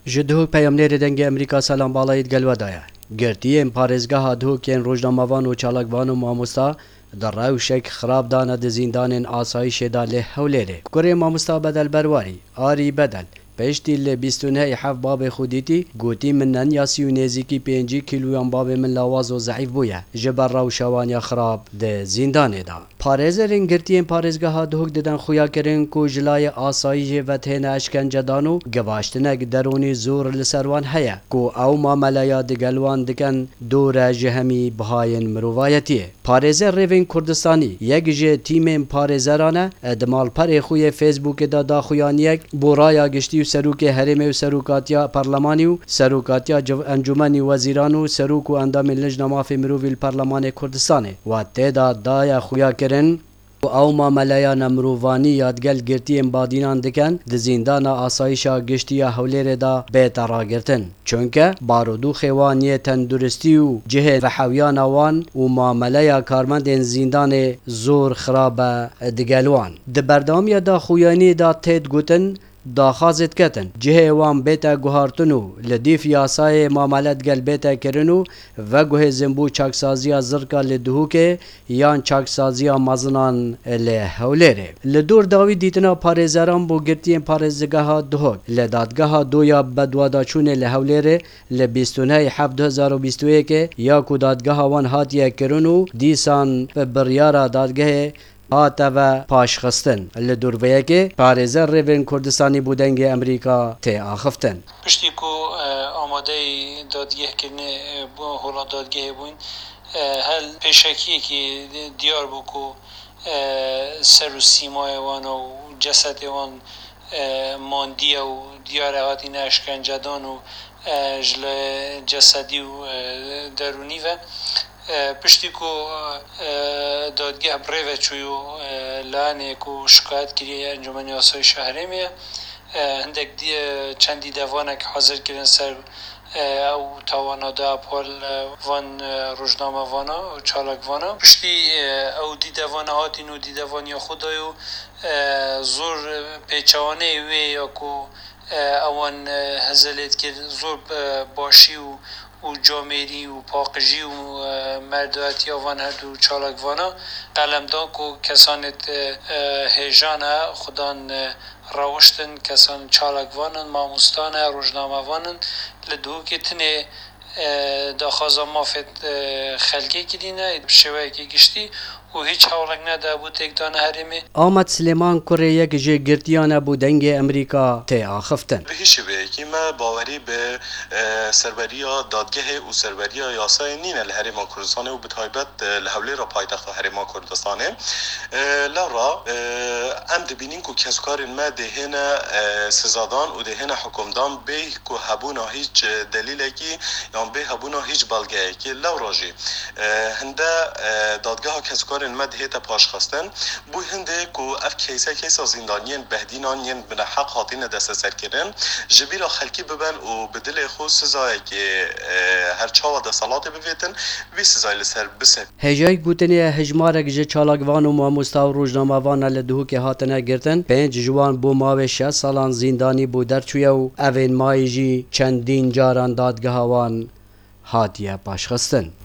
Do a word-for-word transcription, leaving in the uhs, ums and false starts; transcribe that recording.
Ji Duhok peyamnêrê Dengê Amerîka Selam Balayî digel we de ye. Girtiyên parêzgeha Duhok yên rojnamevan û çalakvan û mamosta di rewşek xirab de ne di zîndanên asayîşê de li Hewlêrê. Kurê mamosta Bedel Berwarî, Arî Bedel, piştî li bîst û nehê heft babê xwe dîtî, gotî, min nenya sî û nêzîkî pêncî kîloyan babê min lawaz û zeîf bûye ji ber rewşa wan ya xirab di zîndanê de. Parêzerên girtiyên parêzgeha Duhok didin xuyakirin ku ji layê asayîşê ve têne eşkencedan û givaştinek derûnî zor li ser wan heye ku ew mameleya digel wan dikin dûr e ji hemî bihayên mirovayetiyê. Parêzer Rêvên Kurdistanî yek ji tîmên parêzeran e, di malperê xwe yê Facebookê de daxuyaniyek bo raya giştî û serokê herêmê û serokatiya parlemanî û serokatiya civ-, encûmenî wezîran û serok û endamên Lijna Mafê Mirovî li Parlemanê Kurdistanê. Wa tê de daye xuyakirin ku ew mameleya nemirovanî ya digel girtiyên badînan dikin, di zîndana asayîşa giştî ya Hewlêrê de bête ragirtin. Çunke barûdûxê wan yê tenduristî û cihê vehewiyana wan û mameleya karmendên zîndanê zor xirab e digel wan. Di berdewamiya daxuyaniyê de tê digotin, daxwazê diketin cihê wan bête guhartin û li dîf yasayê mamele digel bête kirin û veguhêzin bo çaksaziya zirka li Duhokê yan çaksaziya mezinan li Hewlêrê. Li dor dawî dîtina parêzeran bo girtiyên parêzgeha Duhok li dadgeha doya bedwadaçûnê li Hewlêrê li bîst û nehê heft du hezar û bîst û yekê ya ku dadgeha wan hatiye kirin û dîsan bi biryara dadgehê hate ve paşxistin. Li dor vê yekê parêzer Rêvên Kurdistanî bo Dengê Amerîka tê axiftin. Piştî ku, e, amadeyî dadgehkirinê, e, bo hola dadgehê bûn, e, hel pêşekiyekî diyar bû ku, e, ser û sîmayê wan û cesedê wan, e, mandiye û diyar e hatîne eşkencedan û, e, ji lê cesedî û, e, derûnî ve. E, piştî ku, e, dadgeh bi rê ve çûyû, e, layenê ku şikayet kiriye Encûmenê Asayîşa Herêmê ye. E, hindek dî-, e, çend dîdevanek hazir kirin ser, e, ew tawana de pol, e, van, e, rojnamevana û çalakvana. Piştî, e, ew dîdevana hatîn û dîdevaniya xwe dayû, e, zor, e, pêçewaneyê wê ya ku, e, ewan, e, hezelê dikir, zor, e, başî û, û camêrî û paqijî û, e, merdayetiya van her du çalakvana qelem dan ku kesanê, e, e, hêjan e, xudan, e, rewiştin, kesan çalakvan in, mamosta ne, rojnamevan in, li Duhokê tinê, e, daxwaza mafê, e, xelkê kirîne, bi şêweyekî giştî û hîç hewlek nede bo têkdana herêmê. Amed Silêman kurê yek ji girtiyan e bo Dengê Amerîka tê axiftin. Bi hişî vê yekê me bawerî bi, e, serweriya dadgehê û serweriya yasayê nîne li Herêma Kurdistanê û bi taybet, e, li Hewlêra paytexta Herêma Kurdistanê. E, lewra, e, em dibînin ku keskarên me dê hêne, e, sizadan û dê hêne hukumdan bê ku hebûna hîç, e, delîlekî yan bê hebûna hîç belgeyekî. Lewra jî, e, hinde, e, dadgeha keskarên me dihête paşxistin. Bû hindê ku ev keyse keysa zîndaniyên behdînan yên bineheq hatine desteserkirin, ji bîra xelkî bibin û bi dilê xwe sizayekê, e, her çawa desthilatê bivêtin, vî sizayê li ser bisevî. Hêjayî gotinê ye hejmarek ji çalakvan û mamosta û rojnamevan li Duhokê hatine girtin, pênc ji wan bo mawê şeş salan zîndanî bo derçûye û evên mayî jî çendîn caran dadgeha wan hatiye paşxistin.